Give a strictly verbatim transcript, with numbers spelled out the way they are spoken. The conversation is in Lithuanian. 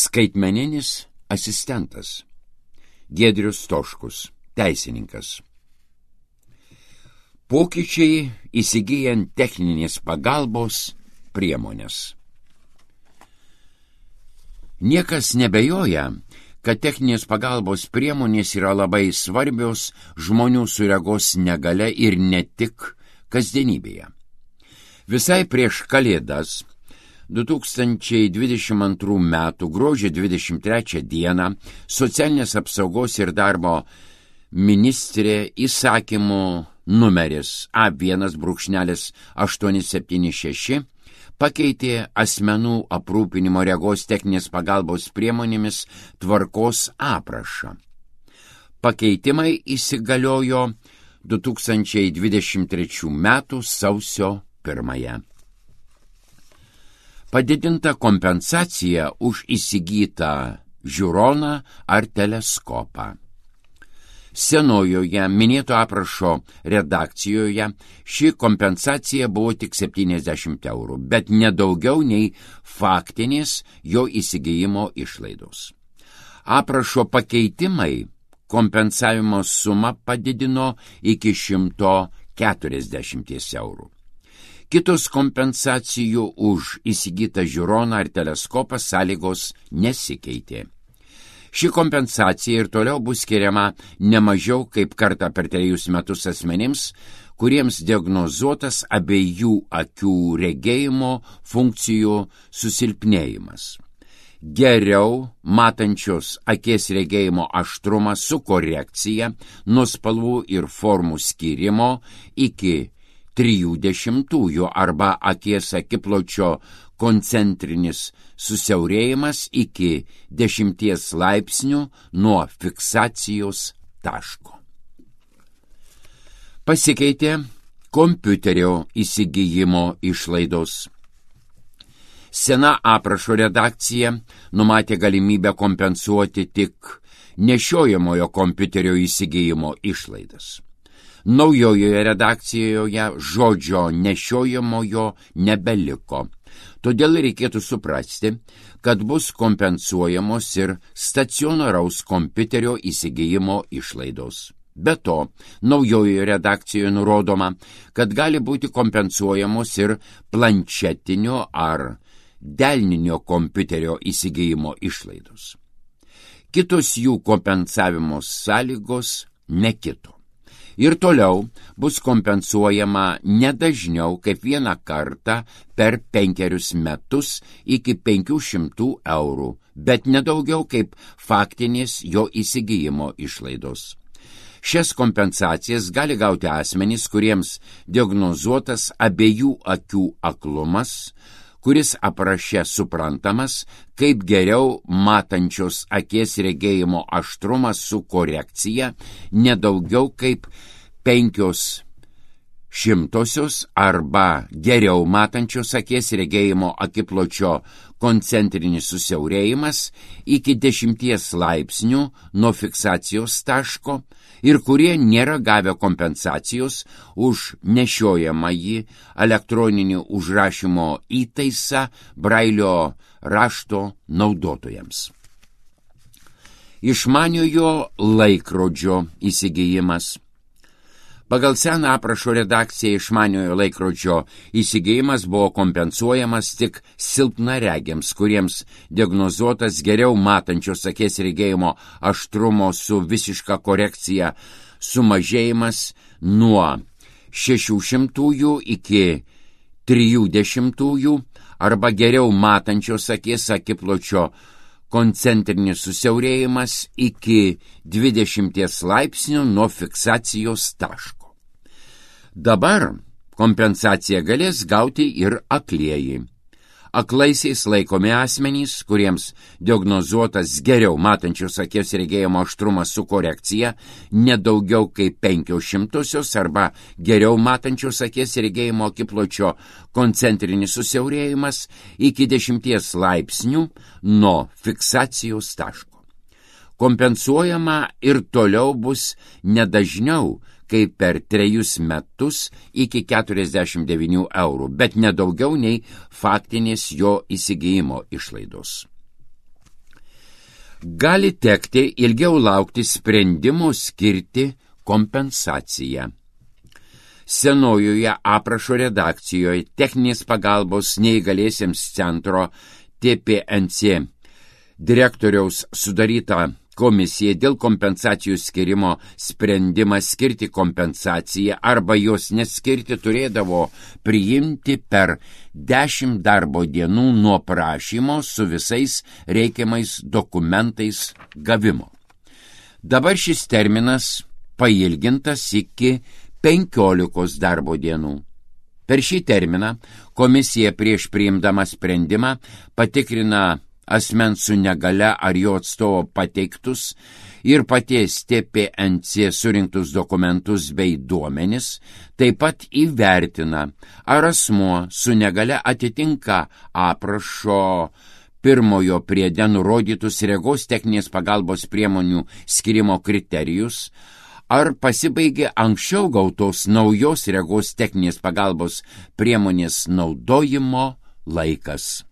Skaitmeninis asistentas. Giedrius Stoškus, teisininkas. Pokyčiai įsigyjant techninės pagalbos priemonės. Niekas nebejoja, kad techninės pagalbos priemonės yra labai svarbios žmonių su regos negalia ir ne tik kasdienybėje. Visai prieš Kalėdas du tūkstančiai dvidešimt antrų metų gruodžio dvidešimt trečią dieną socialinės apsaugos ir darbo ministrė įsakymu numeris A vienas aštuoni septyni šeši pakeitė asmenų aprūpinimo regos techninės pagalbos priemonėmis tvarkos aprašą. Pakeitimai įsigaliojo du tūkstančiai dvidešimt trečių metų sausio pirmąją. Padidinta kompensacija už įsigytą žiūroną ar teleskopą. Senojoje minėto aprašo redakcijoje ši kompensacija buvo tik septyniasdešimt eurų, bet nedaugiau nei faktinės jo įsigijimo išlaidos. Aprašo pakeitimai kompensavimo sumą padidino iki šimto keturiasdešimt eurų. Kitos kompensacijų už įsigytą žiūroną ar teleskopą sąlygos nesikeitė. Ši kompensacija ir toliau bus skiriama ne mažiau kaip kartą per trejus metus asmenims, kuriems diagnozuotas abiejų akių regėjimo funkcijų susilpnėjimas. Geriau matančios akies regėjimo aštrumas su korekcija nuo spalvų ir formų skyrimo iki trijų dešimtųjų arba akies akipločio koncentrinis susiaurėjimas iki dešimties laipsnių nuo fiksacijos taško. Pasikeitė kompiuterio įsigijimo išlaidos. Sena aprašo redakcija numatė galimybę kompensuoti tik nešiojamojo kompiuterio įsigijimo išlaidas. Naujojoje redakcijoje žodžio nešiojamojo nebeliko. Todėl reikėtų suprasti, kad bus kompensuojamos ir stacionaraus kompiuterio įsigijimo išlaidos. Be to, naujojoje redakcijoje nurodoma, kad gali būti kompensuojamos ir planšetinio ar delninio kompiuterio įsigijimo išlaidos. Kitos jų kompensavimo sąlygos nekito. Ir toliau bus kompensuojama nedažniau kaip vieną kartą per penkerius metus iki penkių šimtų eurų, bet nedaugiau kaip faktinės jo įsigijimo išlaidos. Šias kompensacijas gali gauti asmenys, kuriems diagnozuotas abiejų akių aklumas, kuris apraše suprantamas kaip geriau matančios akies regėjimo aštrumas su korekcija nedaugiau kaip penkios šimtosios arba geriau matančios akies regėjimo akipločio koncentrinis susiaurėjimas iki dešimties laipsnių nuo fiksacijos taško ir kurie nėra gavę kompensacijos už nešiojamąjį elektroninį užrašymo įtaisą brailio rašto naudotojams. Išmaniojo laikrodžio įsigijimas. Pagal seną aprašo redakciją išmaniojo laikrodžio įsigijimas buvo kompensuojamas tik silpnaregiams, kuriems diagnozuotas geriau matančios akies regėjimo aštrumo su visiška korekcija sumažėjimas nuo šešių šimtųjų iki trijų dešimtųjų arba geriau matančios akies akipločio koncentrinis susiaurėjimas iki dvidešimties laipsnių nuo fiksacijos taško. Dabar kompensaciją galės gauti ir aklieji. Aklaisiais laikomi asmenys, kuriems diagnozuotas geriau matančios akies regėjimo aštrumas su korekcija nedaugiau kaip penkios šimtosios arba geriau matančios akies regėjimo akipločio koncentrinis susiaurėjimas iki dešimties laipsnių nuo fiksacijos taško. Kompensuojama ir toliau bus nedažniau kaip per trejus metus iki keturiasdešimt devynių eurų, bet nedaugiau nei faktinės jo įsigijimo išlaidos. gali tekti ilgiau laukti sprendimo skirti kompensaciją. Senojoje aprašo redakcijoje techninės pagalbos neįgaliesiems centro T P N C direktoriaus sudaryta komisija dėl kompensacijų skirimo sprendimą skirti kompensaciją arba jos neskirti turėdavo priimti per dešimt darbo dienų nuo prašymo su visais reikiamais dokumentais gavimo. Dabar šis terminas pailgintas iki penkiolikos darbo dienų. Per šį terminą komisija prieš priimdama sprendimą patikrina asmens su negale ar jo atstovo pateiktus ir paties T P N C surinktus dokumentus bei duomenis, taip pat įvertina, ar asmuo su negale atitinka aprašo pirmojo priede nurodytus regos techninės pagalbos priemonių skirimo kriterijus, ar pasibaigė anksčiau gautos naujos regos techninės pagalbos priemonės naudojimo laikas.